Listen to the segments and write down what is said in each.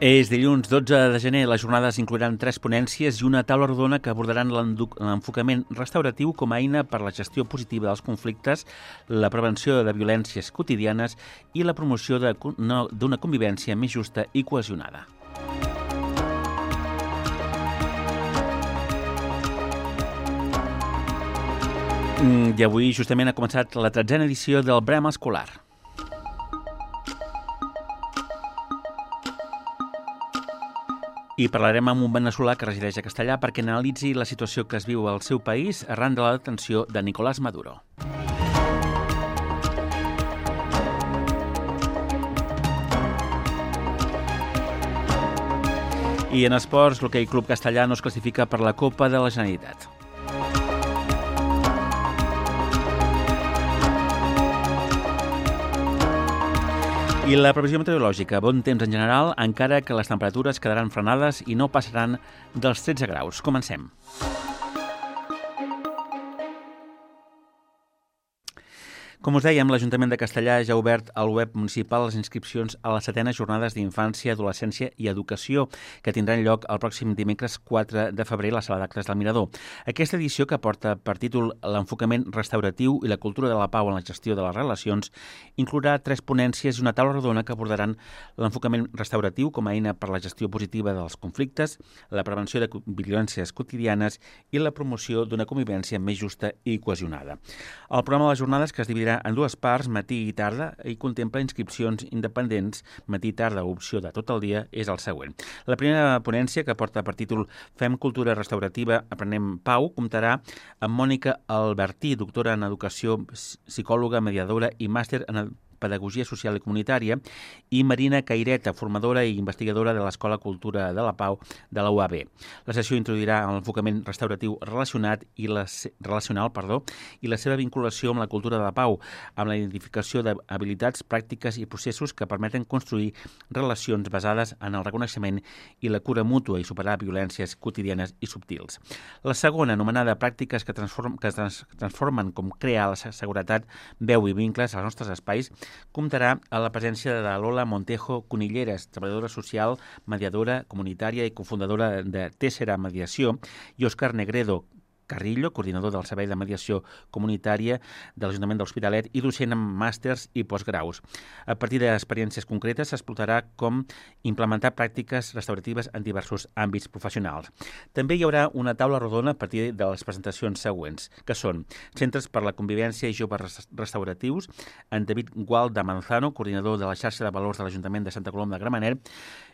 És dilluns 12 de gener. Les jornades inclouran 3 ponències i una taula rodona que abordaran l'enfocament restauratiu com a eina per la gestió positiva dels conflictes, la prevenció de violències quotidianes i la promoció d'una convivència més justa i cohesionada. I avui justament ha començat la 13a edició del Brema Escolar. I parlarem amb un veneçolà que resideix a Castellà perquè analitzi la situació que es viu al seu país arran de la detenció de Nicolás Maduro. I en esports, l'Hoquei Club Castellà no es classifica per la Copa de la Generalitat. I la previsió meteorològica, bon temps en general, encara que les temperatures quedaran frenades i no passaran dels 13 graus. Comencem. Com us dèiem, l'Ajuntament de Castellà ja ha obert al web municipal les inscripcions a les 7enes jornades d'infància, adolescència i educació, que tindran lloc el pròxim dimecres 4 de febrer a la sala d'actes del Mirador. Aquesta edició, que porta per títol l'enfocament restauratiu i la cultura de la pau en la gestió de les relacions, inclourà 3 ponències i una taula rodona que abordaran l'enfocament restauratiu com a eina per la gestió positiva dels conflictes, la prevenció de violències quotidianes i la promoció d'una convivència més justa i cohesionada. El programa de les jornades, que es dividirà en 2 parts, matí i tarda, i contempla inscripcions independents, matí i tarda, opció de tot el dia, és el següent. La primera ponència, que porta per títol Fem cultura restaurativa, aprenem pau, comptarà amb Mònica Albertí, doctora en educació, psicòloga, mediadora i màster en Pedagogia Social i Comunitària, i Marina Caireta, formadora i investigadora de l'Escola Cultura de la Pau de la UAB. La sessió introduirà l'enfocament restauratiu relacional i la seva vinculació amb la cultura de la pau, amb la identificació d'habilitats, pràctiques i processos que permeten construir relacions basades en el reconeixement i la cura mútua i superar violències quotidianes i subtils. La segona, anomenada Pràctiques que transformen com crear la seguretat, veu i vincles als nostres espais, comptarà a la presència de Lola Montejo Conilleres, treballadora social, mediadora comunitària i cofundadora de Tessera Mediació, i Òscar Negredo Carrillo, coordinador del Servei de Mediació Comunitària de l'Ajuntament de l'Hospitalet i docent en màsters i postgraus. A partir d'experiències concretes s'explotarà com implementar pràctiques restauratives en diversos àmbits professionals. També hi haurà una taula rodona a partir de les presentacions següents, que són Centres per la Convivència i Joves Restauratius, en David Gual de Manzano, coordinador de la xarxa de valors de l'Ajuntament de Santa Coloma de Gramenet,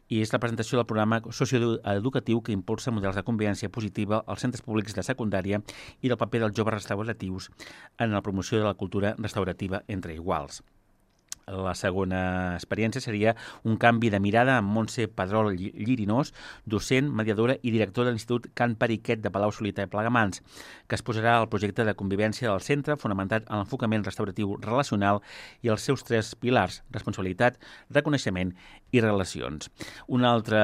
i és la presentació del programa socioeducatiu que impulsa models de convivència positiva als centres públics de secundària i del paper dels joves restauratius en la promoció de la cultura restaurativa entre iguals. La segona experiència seria un canvi de mirada amb Montse Pedrol Llirinós, docent, mediadora i directora de l'Institut Can Periquet de Palau-solità i Plegamans, que exposarà el projecte de convivència del centre fonamentat en l'enfocament restauratiu relacional i els seus 3 pilars: responsabilitat, reconeixement i relacions. Un altre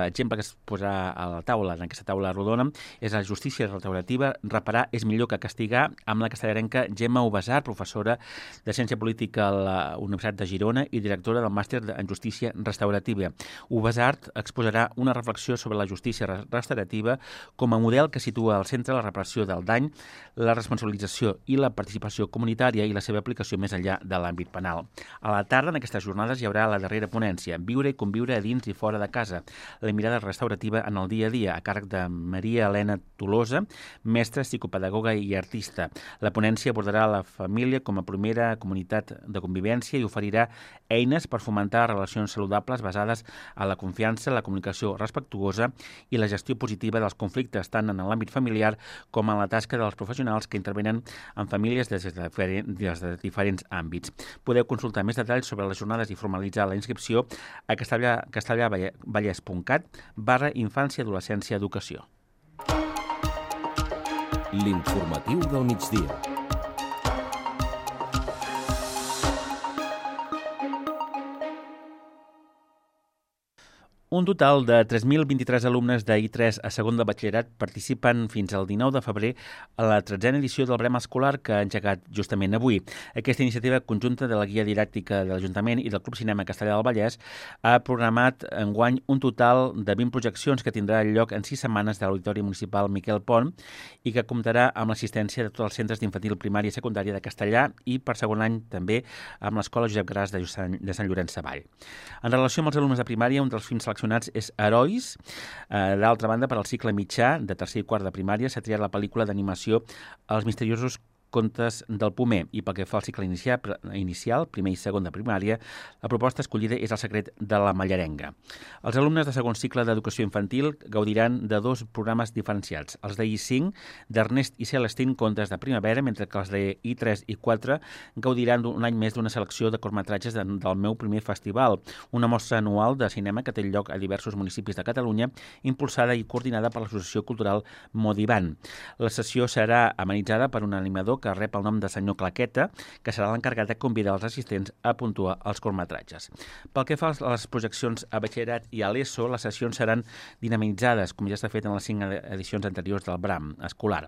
exemple que es posarà a la taula, en aquesta taula rodona, és la justícia restaurativa. Reparar és millor que castigar, amb la castellarenca Gemma Ubasart, professora de Ciència Política a la Universitat de Girona i directora del màster en Justícia Restaurativa. Ubasart exposarà una reflexió sobre la justícia restaurativa com a model que situa al centre la reparació del dany, la responsabilització i la participació comunitària i la seva aplicació més enllà de l'àmbit penal. A la tarda, en aquestes jornades, hi haurà la darrera ponència, Viure i conviure a dins i fora de casa, la mirada restaurativa en el dia a dia, a càrrec de Maria Helena Tolosa, mestra, psicopedagoga i artista. La ponència abordarà la família com a primera comunitat de convivència i oferirà eines per fomentar relacions saludables basades en la confiança, la comunicació respectuosa i la gestió positiva dels conflictes, tant en l'àmbit familiar com en la tasca dels professionals que intervenen en famílies des de diferents àmbits. Podeu consultar més detalls sobre les jornades i formalitzar la inscripció a castellavallès.cat/infància, adolescència, educació. L'informatiu del migdia. Un total de 3.023 alumnes d'I3 a segon de batxillerat participen fins al 19 de febrer a la 13a edició del Brem Escolar que ha engegat justament avui. Aquesta iniciativa conjunta de la Guia Didàctica de l'Ajuntament i del Club Cinema Castellà del Vallès ha programat enguany un total de 20 projeccions que tindrà lloc en 6 setmanes de l'Auditori Municipal Miquel Pont i que comptarà amb l'assistència de tots els centres d'infantil primària i secundària de Castellà i per segon any també amb l'Escola Josep Gras de Sant Llorenç Savall. En relació amb els alumnes de primària, un dels films seleccionats és Herois. D'altra banda, per al cicle mitjà de tercer i quart de primària s'ha triat la pel·lícula d'animació Els misteriosos contes del Pomer i pel que fa al cicle inicial, primer i segon de primària, la proposta escollida és El secret de la Mallarenga. Els alumnes de segon cicle d'educació infantil gaudiran de 2 programes diferenciats, els de I5 d'Ernest i Celestín Contes de primavera, mentre que els de I3 i 4 gaudiran un any més d'una selecció de curtmetratges del meu primer festival, una mostra anual de cinema que té lloc a diversos municipis de Catalunya, impulsada i coordinada per l'Associació Cultural Modivan. La sessió serà amenitzada per un animador que rep el nom de senyor Claqueta, que serà l'encarregat de convidar els assistents a puntuar els curtmetratges. Pel que fa a les projeccions a batxillerat i a l'ESO, les sessions seran dinamitzades, com ja s'ha fet en les 5 edicions anteriors del Brem Escolar.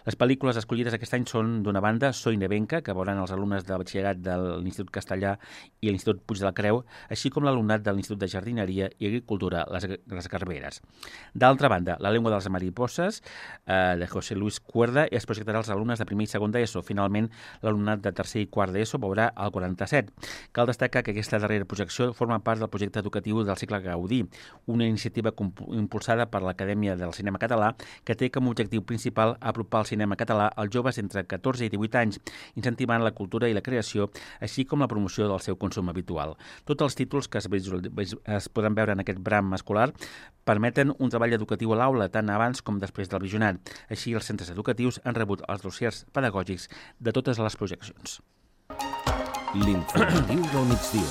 Les pel·lícules escollides aquest any són, d'una banda, Soy Nevenca, que veuran els alumnes de batxillerat de l'Institut Castellà i l'Institut Puig de la Creu, així com l'alumnat de l'Institut de Jardineria i Agricultura Les Garberes. D'altra banda, La llengua dels mariposses, de José Luis Cuerda, es projectarà als alumnes de primer i segon d'ESO. Finalment, l'alumnat de tercer i quart d'ESO veurà el 47. Cal destacar que aquesta darrera projecció forma part del projecte educatiu del cicle Gaudí, una iniciativa impulsada per l'Acadèmia del Cinema Català que té com a objectiu principal apropar el cinema català als joves entre 14 i 18 anys, incentivant la cultura i la creació, així com la promoció del seu consum habitual. Tots els títols que es podran veure en aquest Brem Escolar permeten un treball educatiu a l'aula, tant abans com després del visionat. Així, els centres educatius han rebut els dossiers pedagògics de totes les projeccions. L'informatiu del migdia.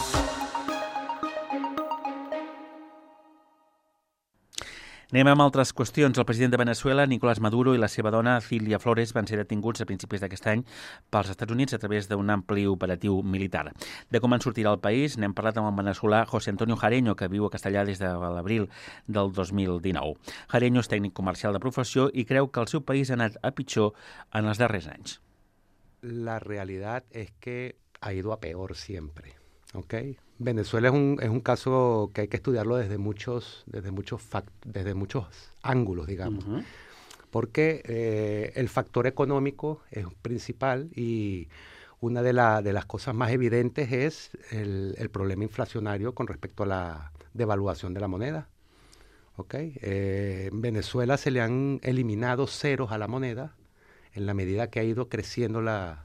Anem amb altres qüestions. El president de Veneçuela, Nicolás Maduro, i la seva dona, Cilia Flores, van ser detinguts a principis d'aquest any pels Estats Units a través d'un ampli operatiu militar. De com en sortirà el país, n'hem parlat amb el veneçolà José Antonio Jareño, que viu a Castellà des de l'abril del 2019. Jareño és tècnic comercial de professió i creu que el seu país ha anat a pitjor en els darrers anys. La realidad es que ha ido a peor siempre, ¿ok? Venezuela es un caso que hay que estudiarlo desde muchos ángulos, digamos. Uh-huh. Porque el factor económico es principal y una de las cosas más evidentes es el problema inflacionario con respecto a la devaluación de la moneda. ¿Okay? En Venezuela se le han eliminado ceros a la moneda en la medida que ha ido creciendo la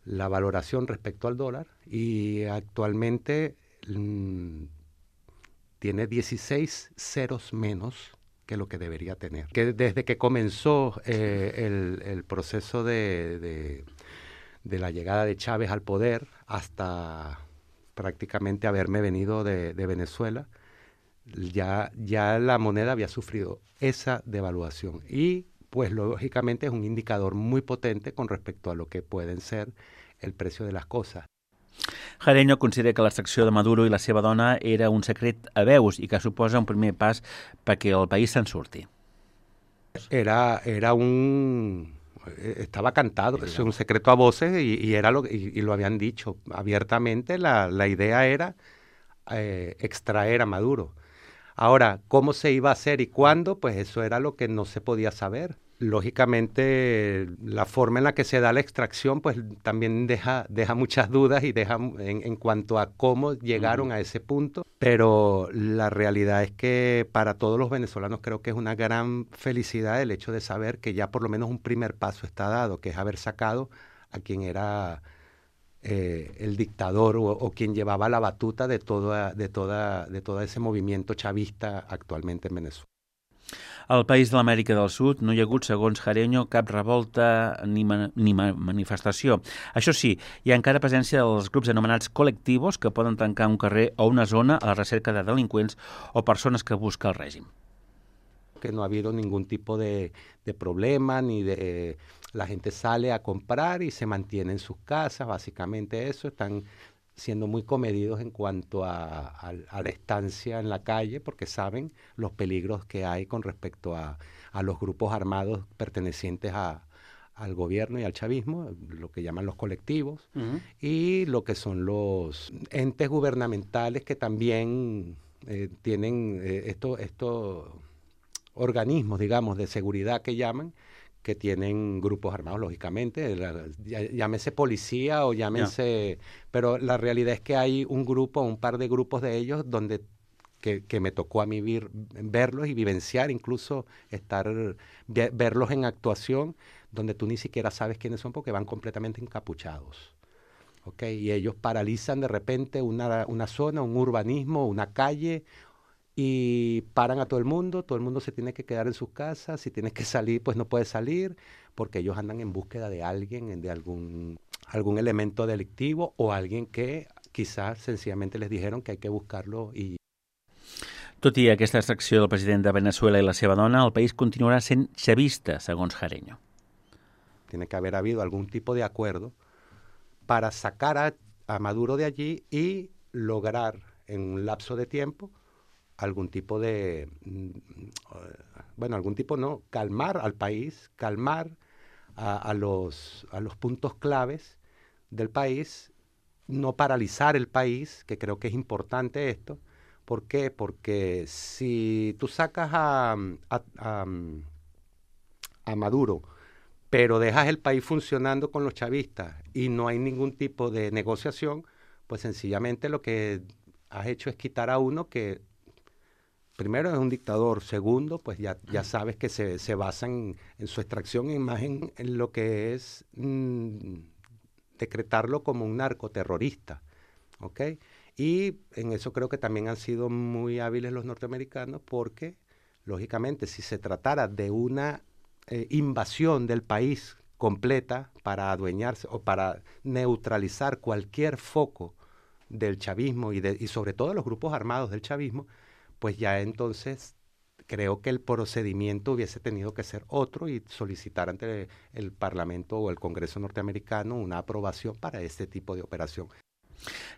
valoración respecto al dólar y actualmente tiene 16 ceros menos que lo que debería tener. Que desde que comenzó el proceso de la llegada de Chávez al poder hasta prácticamente haberme venido de Venezuela, ya la moneda había sufrido esa devaluación y pues lógicamente es un indicador muy potente con respecto a lo que pueden ser el precio de las cosas. Jareño considera que l'extracció de Maduro i la seva dona era un secret a veus i que suposa un primer pas perquè el país se'n surti. Estaba cantado, es un secreto a voces y lo habían dicho abiertamente. La idea era extraer a Maduro. Ahora, ¿cómo se iba a hacer y cuándo? Pues eso era lo que no se podía saber. Lógicamente, la forma en la que se da la extracción pues también deja muchas dudas y deja en cuanto a cómo llegaron a ese punto. Pero la realidad es que para todos los venezolanos creo que es una gran felicidad el hecho de saber que ya por lo menos un primer paso está dado, que es haber sacado a quien era el dictador o quien llevaba la batuta de todo ese movimiento chavista actualmente en Venezuela. Al país de l'Amèrica del Sud no hi ha hagut, segons Jareño, cap revolta ni manifestació. Això sí, hi ha encara presència dels grups anomenats col·lectivos que poden tancar un carrer o una zona a la recerca de delinqüents o persones que busca el règim. Que no ha habido ningún tipo de problema, la gente sale a comprar y se mantiene en sus casas, básicamente eso, están siendo muy comedidos en cuanto a la estancia en la calle, porque saben los peligros que hay con respecto a los grupos armados pertenecientes al gobierno y al chavismo, lo que llaman los colectivos, y lo que son los entes gubernamentales que también tienen estos organismos, digamos, de seguridad que llaman, que tienen grupos armados, lógicamente, llámese policía o llámense... Pero la realidad es que hay un par de grupos de ellos donde que me tocó a mí verlos y vivenciar, incluso verlos en actuación, donde tú ni siquiera sabes quiénes son porque van completamente encapuchados. ¿Okay? Y ellos paralizan de repente una zona, un urbanismo, una calle, y paran a todo el mundo se tiene que quedar en sus casas, si tienes que salir, pues no puedes salir, porque ellos andan en búsqueda de alguien, de algún elemento delictivo o alguien que quizás sencillamente les dijeron que hay que buscarlo y... Tot i aquesta extracció del president de Venezuela i la seva dona, el país continuarà sent chavista, segons Jareño. Tiene que haber habido algún tipo de acuerdo para sacar a Maduro de allí y lograr en un lapso de tiempo algún tipo de, calmar al país, calmar a los puntos claves del país, no paralizar el país, que creo que es importante esto. ¿Por qué? Porque si tú sacas a Maduro, pero dejas el país funcionando con los chavistas y no hay ningún tipo de negociación, pues sencillamente lo que has hecho es quitar a uno que primero es un dictador, segundo, pues ya sabes que se basa en su extracción e imagen en lo que es decretarlo como un narcoterrorista, ¿ok? Y en eso creo que también han sido muy hábiles los norteamericanos porque, lógicamente, si se tratara de una invasión del país completa para adueñarse o para neutralizar cualquier foco del chavismo y sobre todo los grupos armados del chavismo, pues ya entonces creo que el procedimiento hubiese tenido que ser otro y solicitar ante el Parlamento o el Congreso norteamericano una aprobación para este tipo de operación.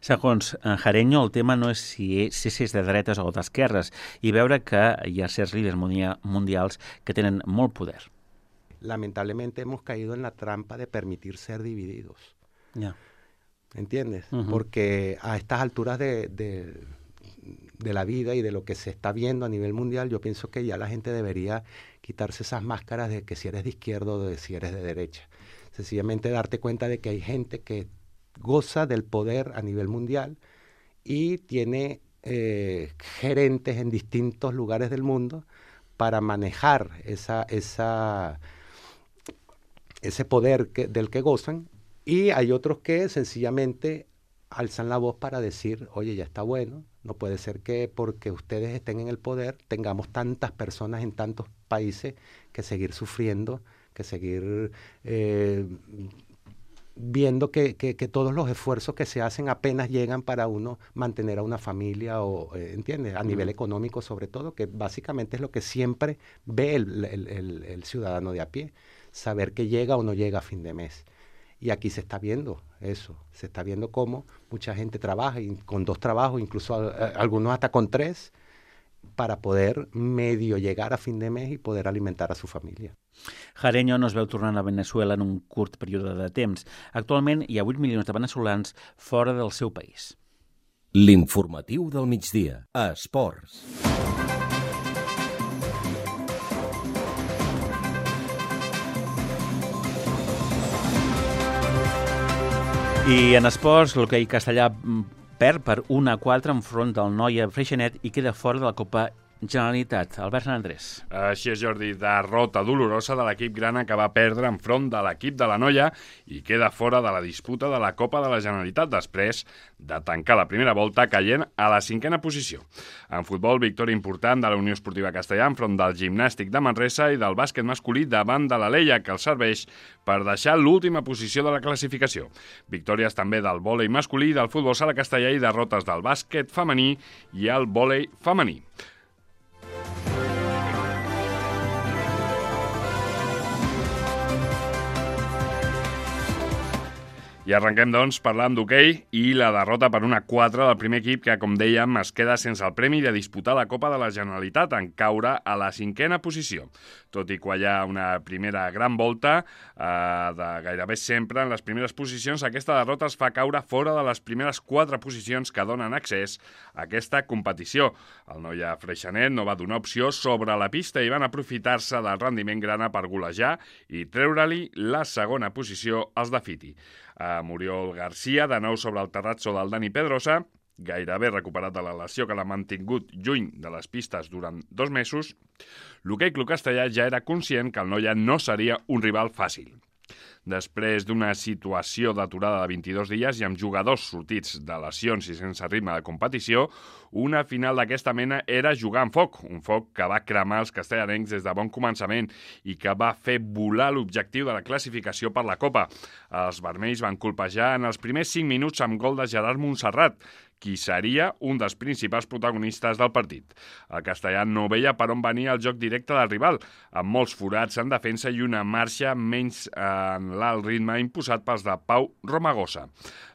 Segons Jareño, el tema no és si és de dretes o d'esquerres i veure que hi ha certs líders mundials que tenen molt poder. Lamentablemente hemos caído en la trampa de permitir ser divididos. Yeah. ¿Entiendes? Porque a estas alturas de la vida y de lo que se está viendo a nivel mundial, yo pienso que ya la gente debería quitarse esas máscaras de que si eres de izquierda o de si eres de derecha. Sencillamente darte cuenta de que hay gente que goza del poder a nivel mundial y tiene gerentes en distintos lugares del mundo para manejar ese poder del que gozan, y hay otros que sencillamente alzan la voz para decir, oye, ya está bueno, no puede ser que porque ustedes estén en el poder tengamos tantas personas en tantos países que seguir sufriendo, que seguir viendo que todos los esfuerzos que se hacen apenas llegan para uno mantener a una familia, o ¿entiendes? A nivel económico sobre todo, que básicamente es lo que siempre ve el ciudadano de a pie, saber que llega o no llega a fin de mes. Y aquí se está viendo eso, se está viendo cómo mucha gente trabaja y con 2 trabajos, incluso algunos hasta con 3, para poder medio llegar a fin de mes i poder alimentar a su família. Jareño no es veu tornant a Venezuela en un curt període de temps. Actualment hi ha 8 milions de veneçolans fora del seu país. L'informatiu del migdia, a Esports. I en esports, l'hoquei castellà perd per 1-4 enfront del Noia Freixenet i queda fora de la Copa Generalitat. Albert Andrés. Així és, Jordi, derrota dolorosa de l'equip grana que va perdre enfront de l'equip de la Noia i queda fora de la disputa de la Copa de la Generalitat després de tancar la primera volta caient a la 5a posició. En futbol, victòria important de la Unió Esportiva Castellà enfront del Gimnàstic de Manresa i del bàsquet masculí davant de l'Aleia, que els serveix per deixar l'última posició de la classificació. Victòries també del vòlei masculí, del futbol sala castellà i derrotes del bàsquet femení i el vòlei femení. I arrenquem, doncs, parlant d'hoquei i la derrota per 1-4 del primer equip que, com dèiem, es queda sense el premi de disputar la Copa de la Generalitat en caure a la 5a posició. Tot i quallar una primera gran volta, de gairebé sempre en les primeres posicions, aquesta derrota es fa caure fora de les primeres 4 posicions que donen accés a aquesta competició. El Noia Freixenet no va donar opció sobre la pista i van aprofitar-se del rendiment grana per golejar i treure-li la segona posició als de Fiti. Muriol Garcia, de nou sobre el terrazzo del Dani Pedrosa, gairebé recuperat de la lesió que l'ha mantingut lluny de les pistes durant 2 mesos, l'hoquei Club Castellà ja era conscient que el Noia no seria un rival fàcil. Després d'una situació d'aturada de 22 dies i amb jugadors sortits de lesions i sense ritme de competició, una final d'aquesta mena era jugar amb foc, un foc que va cremar els castellarencs des de bon començament i que va fer volar l'objectiu de la classificació per la Copa. Els vermells van colpejar en els primers 5 minuts amb gol de Gerard Montserrat, qui seria un dels principals protagonistes del partit. El castellà no veia per on venia el joc directe del rival, amb molts forats en defensa i una marxa menys en l'alt ritme imposat pels de Pau Romagosa.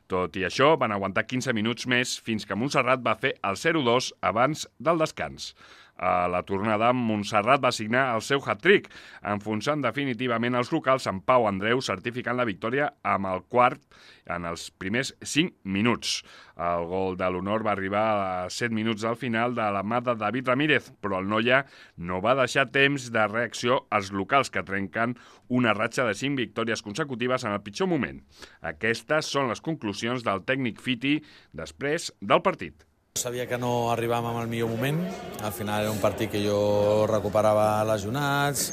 Tot i això, van aguantar 15 minuts més fins que Montserrat va fer el 0-2 abans del descans. A la tornada, Montserrat va signar el seu hat-trick, enfonsant definitivament els locals amb Pau Andreu, certificant la victòria amb el quart en els primers 5 minuts. El gol de l'honor va arribar a 7 minuts al final de la mà de David Ramírez, però el Noia no va deixar temps de reacció als locals que trenquen una ratxa de 5 victòries consecutives en el pitjor moment. Aquestes són les conclusions del tècnic Fiti després del partit. Sabia que no arribàvem en el millor moment. Al final era un partit que jo recuperava lesionats,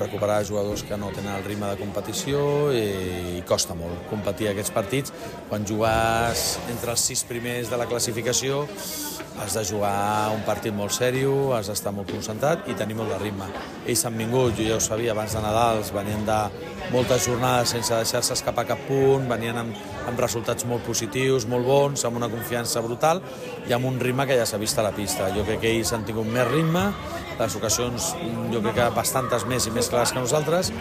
recuperar jugadors que no tenen el ritme de competició i costa molt competir aquests partits. Quan jugues entre els 6 primers de la classificació has de jugar un partit molt sèrio, has d'estar molt concentrat i tenir molt de ritme. Ells han vingut, jo ja ho sabia, abans de Nadals, venien de moltes jornades sense deixar-se escapar cap punt, venien amb resultats molt positius, molt bons, amb una confiança brutal i amb un ritme que ja s'ha vist a la pista. Jo crec que ells han tingut més ritme, les ocasions jo crec que bastantes més i més clares que nosaltres,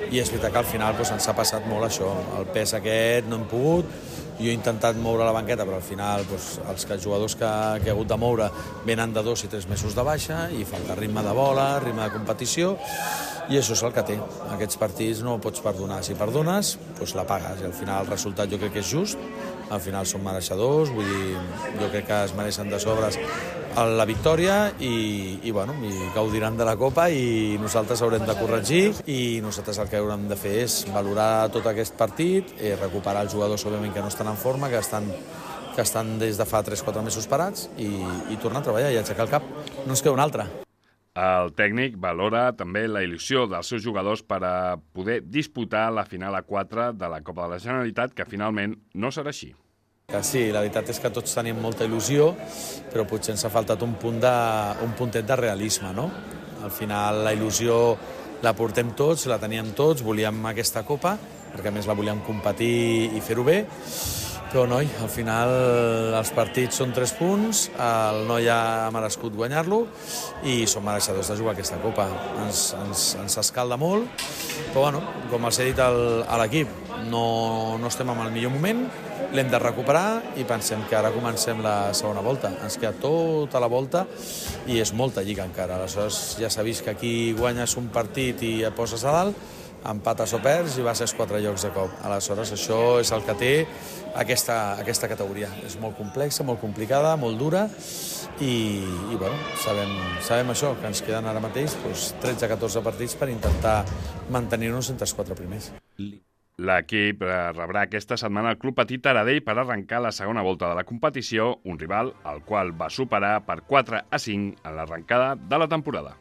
i és veritat que al final ens ha passat molt això, el pes aquest no hem pogut. Jo he intentat moure la banqueta, però al final els jugadors que he hagut de moure venen de 2 i 3 mesos de baixa i falta ritme de bola, ritme de competició, i això és el que té. Aquests partits no pots perdonar. Si perdones, la pagues, i al final el resultat jo crec que és just, al final són mereixedors, vull dir, jo crec que es mereixen de sobres la victòria i gaudiran de la Copa i nosaltres haurem de corregir i nosaltres el que haurem de fer és valorar tot aquest partit, recuperar els jugadors òbviament que no estan en forma, que estan des de fa 3-4 mesos parats i tornar a treballar i aixecar el cap. No ens queda un altre. El tècnic valora també la il·lusió dels seus jugadors per a poder disputar la final a 4 de la Copa de la Generalitat, que finalment no serà així. Sí, la veritat és que tots tenim molta il·lusió, però potser ens ha faltat un puntet de realisme, no? Al final la il·lusió la portem tots, la teníem tots, volíem aquesta Copa, perquè a més la volíem competir i fer-ho bé, però noi, al final els partits són 3 punts, el Noia ha merescut guanyar-lo i som mereixedors de jugar aquesta Copa. Ens escalda molt, però com els he dit a l'equip, no estem en el millor moment, l'hem de recuperar i pensem que ara comencem la segona volta. Ens queda tota la volta i és molta lliga encara. Aleshores ja s'ha vist que aquí guanyes un partit i et poses a dalt, empates o perds i vas als 4 llocs de cop. Aleshores això és el que té aquesta categoria. És molt complexa, molt complicada, molt dura i sabem això, que ens queden ara mateix 13-14 partits per intentar mantenir-nos entre els 4 primers. L'equip rebrà aquesta setmana el Club Petit Taradell per arrencar la segona volta de la competició, un rival al qual va superar per 4-5 en l'arrencada de la temporada.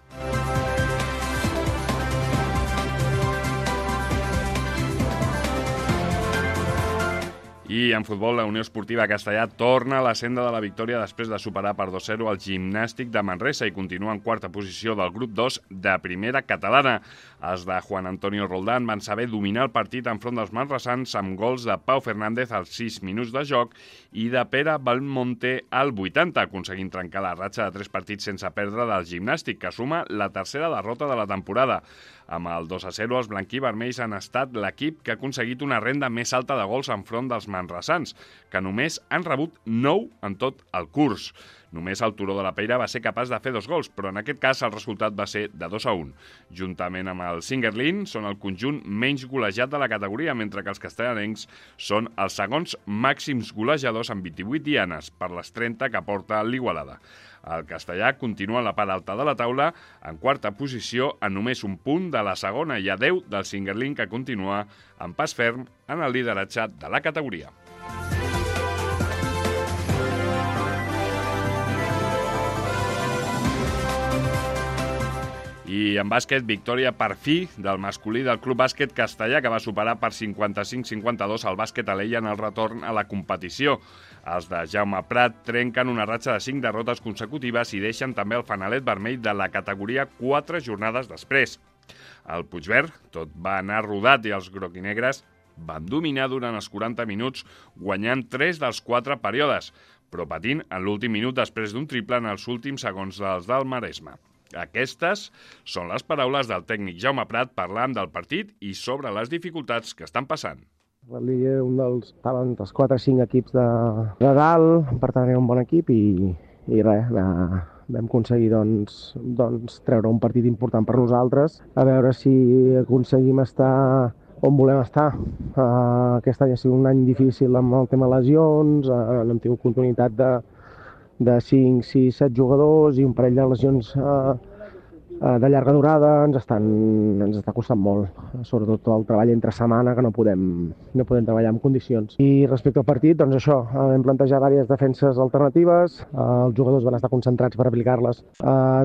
I en futbol, la Unió Esportiva Castellà torna a la senda de la victòria després de superar per 2-0 el Gimnàstic de Manresa i continua en quarta posició del grup 2 de primera catalana. Els de Juan Antonio Roldán van saber dominar el partit enfront dels manresans amb gols de Pau Fernández als 6 minuts de joc i de Pere Belmonte al 80, aconseguint trencar la ratxa de 3 partits sense perdre del Gimnàstic, que suma la tercera derrota de la temporada. Amb el 2-0, els blanquivermells han estat l'equip que ha aconseguit una renda més alta de gols enfront dels manresans, que només han rebut 9 en tot el curs. Només el Turó de la Peira va ser capaç de fer 2 gols, però en aquest cas el resultat va ser de 2-1. Juntament amb el Singuerlín, són el conjunt menys golejat de la categoria, mentre que els castellanencs són els segons màxims golejadors amb 28 dianes per les 30 que porta l'Igualada. El castellà continua a la part alta de la taula, en quarta posició, en només un punt de la segona i a 10 del Singuerlín, que continua amb pas ferm en el lideratge de la categoria. I en bàsquet, victòria per fi del masculí del Club Bàsquet Castellà, que va superar per 55-52 el Bàsquet Alella en el retorn a la competició. Els de Jaume Prat trenquen una ratxa de 5 derrotes consecutives i deixen també el fanalet vermell de la categoria 4 jornades després. Al Puigverd tot va anar rodat i els groquinegres van dominar durant els 40 minuts, guanyant 3 dels 4 períodes, però patint en l'últim minut després d'un triple en els últims segons dels del Maresme. Aquestes són les paraules del tècnic Jaume Prat parlant del partit i sobre les dificultats que estan passant. La Liga estaven dels 4 o 5 equips de dalt, per tant era un bon equip i res, vam aconseguir doncs, treure un partit important per nosaltres, a veure si aconseguim estar on volem estar. Aquest any ha sigut un any difícil amb el tema lesions, no hem tingut continuïtat de 5, 6, 7 jugadors i un parell de lesions de llarga durada ens està costant molt, sobretot el treball entre setmana, que no podem treballar en condicions. I respecte al partit, doncs això, vam plantejar diverses defenses alternatives, els jugadors van estar concentrats per aplicar-les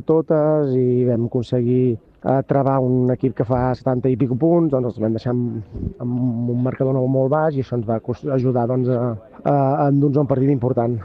totes i vam aconseguir travar un equip que fa 70 i pico punts, doncs els vam deixar amb un marcador molt baix i això ens va ajudar a endur-nos un partit important.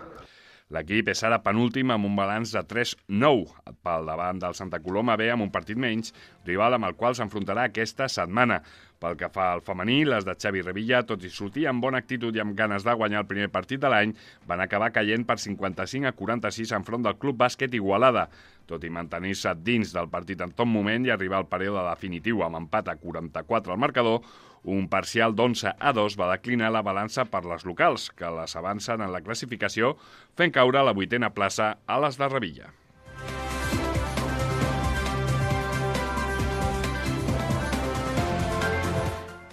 L'equip és ara penúltim amb un balanç de 3-9 pel davant del Santa Coloma B amb un partit menys, rival amb el qual s'enfrontarà aquesta setmana. Pel que fa al femení, les de Xavi Revilla, tot i sortir amb bona actitud i amb ganes de guanyar el primer partit de l'any, van acabar caient per 55-46 enfront del Club Bàsquet Igualada. Tot i mantenir-se dins del partit en tot moment i arribar al període definitiu amb empat a 44 al marcador, un parcial d'11-2 va declinar la balança per les locals, que les avancen en la classificació, fent caure a la 8a plaça a les de Revilla.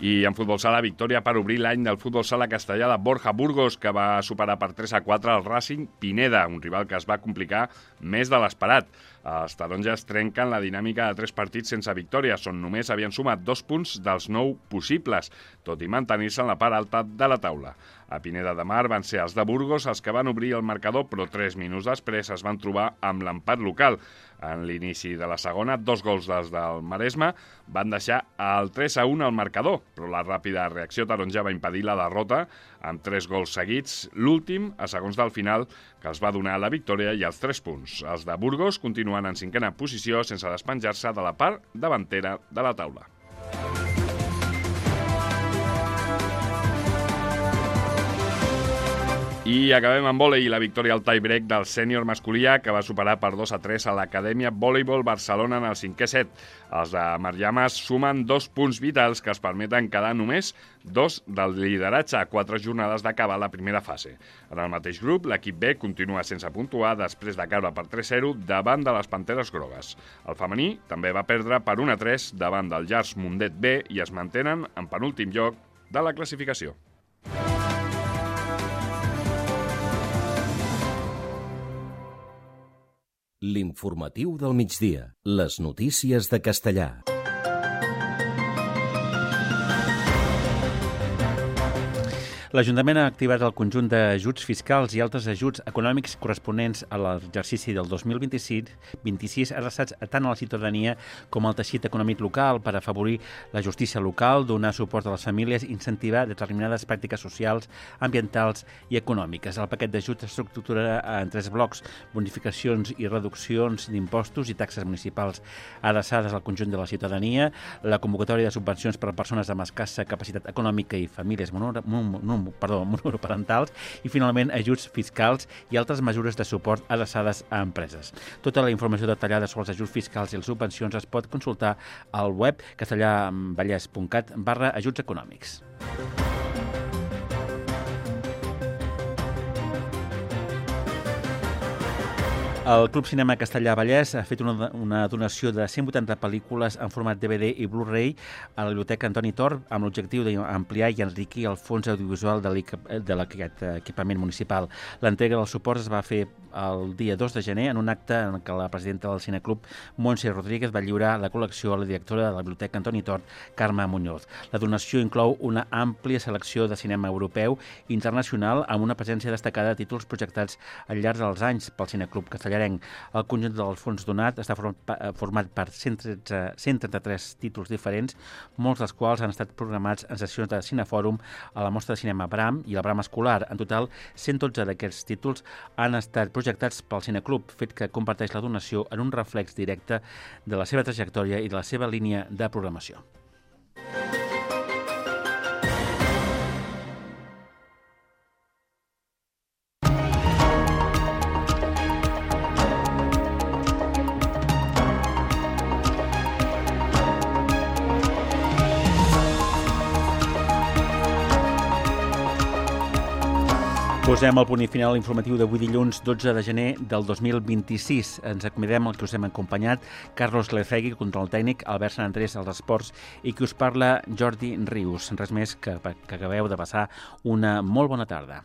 I en futbol sala, victòria per obrir l'any del futbol sala castellà de Borja Burgos, que va superar per 3-4 el Racing Pineda, un rival que es va complicar més de l'esperat. Els taronges trenquen la dinàmica de 3 partits sense victòria, on només havien sumat 2 punts dels 9 possibles, tot i mantenir-se en la part alta de la taula. A Pineda de Mar van ser els de Burgos els que van obrir el marcador, però 3 minuts després es van trobar amb l'empat local. En l'inici de la segona, 2 gols dels del Maresme van deixar el 3-1 al marcador, però la ràpida reacció taronja va impedir la derrota amb 3 gols seguits, l'últim a segons del final, que els va donar la victòria i els 3 punts. Els de Burgos continuen en 5a posició sense despenjar-se de la part davantera de la taula. I acabem amb vòlei i la victòria al tie-break del sènior masculí, que va superar per 2-3 a l'Acadèmia Voleibol Barcelona en el 5è set. Els de Mariames sumen 2 punts vitals que es permeten quedar només 2 del lideratge a 4 jornades d'acabar la primera fase. En el mateix grup, l'equip B continua sense puntuar després de caure per 3-0 davant de les Panteres Grogues. El femení també va perdre per 1-3 davant del Llars Mundet B i es mantenen en penúltim lloc de la classificació. L'informatiu del migdia. Les notícies de Castellà. L'Ajuntament ha activat el conjunt d'ajuts fiscals i altres ajuts econòmics corresponents a l'exercici del 2026 adreçats tant a la ciutadania com al teixit econòmic local per afavorir la justícia local, donar suport a les famílies i incentivar determinades pràctiques socials, ambientals i econòmiques. El paquet d'ajuts s'estructurarà en 3 blocs: bonificacions i reduccions d'impostos i taxes municipals adreçades al conjunt de la ciutadania, la convocatòria de subvencions per a persones amb escassa capacitat econòmica i famílies monoparentals i, finalment, ajuts fiscals i altres mesures de suport adreçades a empreses. Tota la informació detallada sobre els ajuts fiscals i les subvencions es pot consultar al web castellavallès.cat/ajuts econòmics. El Club Cinema Castellà Vallès ha fet una donació de 180 pel·lícules en format DVD i Blu-ray a la Biblioteca Antoni Tor amb l'objectiu d'ampliar i enriquir el fons audiovisual d'aquest equipament municipal. L'entrega dels suports es va fer el dia 2 de gener en un acte en què la presidenta del Cineclub, Montse Rodríguez, va lliurar la col·lecció a la directora de la Biblioteca Antoni Tor, Carme Muñoz. La donació inclou una àmplia selecció de cinema europeu i internacional amb una presència destacada de títols projectats al llarg dels anys pel Cineclub Castellà. El conjunt del fons donat està format per 133 títols diferents, molts dels quals han estat programats en sessions de Cinefòrum a la Mostra de Cinema Bram i la Bram Escolar. En total, 112 d'aquests títols han estat projectats pel Cineclub, fet que comparteix la donació en un reflex directe de la seva trajectòria i de la seva línia de programació. Posem el punt i final informatiu d'avui dilluns 12 de gener del 2026. Ens acomiadem el que us hem acompanyat, Carlos Lefegui, control tècnic, Albert Sant Andrés als esports i qui us parla, Jordi Rius. Res més que acabeu de passar una molt bona tarda.